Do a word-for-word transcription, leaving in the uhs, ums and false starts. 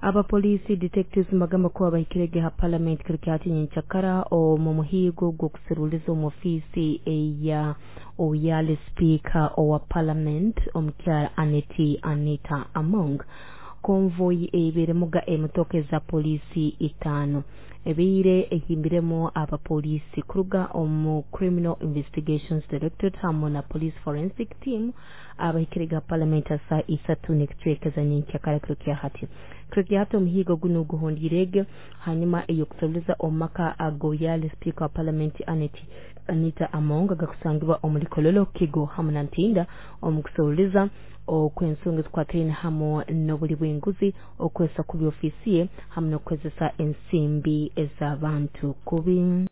Abapoliisi detectives mbagamba kuba bahikirege ha parliament kiro kya nyenkyakara omu muhiigo gw'okuseruliza omu ofiisi eya oyali speaker owa parliament omukyara Aneti Anita Among. Convoy ebeeremuga emotoka eza poliisi itaano ebiire ehimbiremu abapoliisi kuruga omu Criminal Investigations Directorate hamwe na Police Forensic Team abahikirega parliament asa isatu n'ekicweka za nyenkyakara kiro kya hati. Kiro kya hati omuhiigo guno guhondiirege hanyuma ey'okuseruliza omu maka agoyali speaker wa parliament Aneti Anita Among agakusangibwa omuri Kololo, Kigo hamwe na Ntinda omu kuseruliza okw'ensonga ezikwatiraine hamwe n'obuli bw'enguzi, okwesa kubi ofiisi ye hamwe n'okukozesa ensimbi ez'abantu kubi.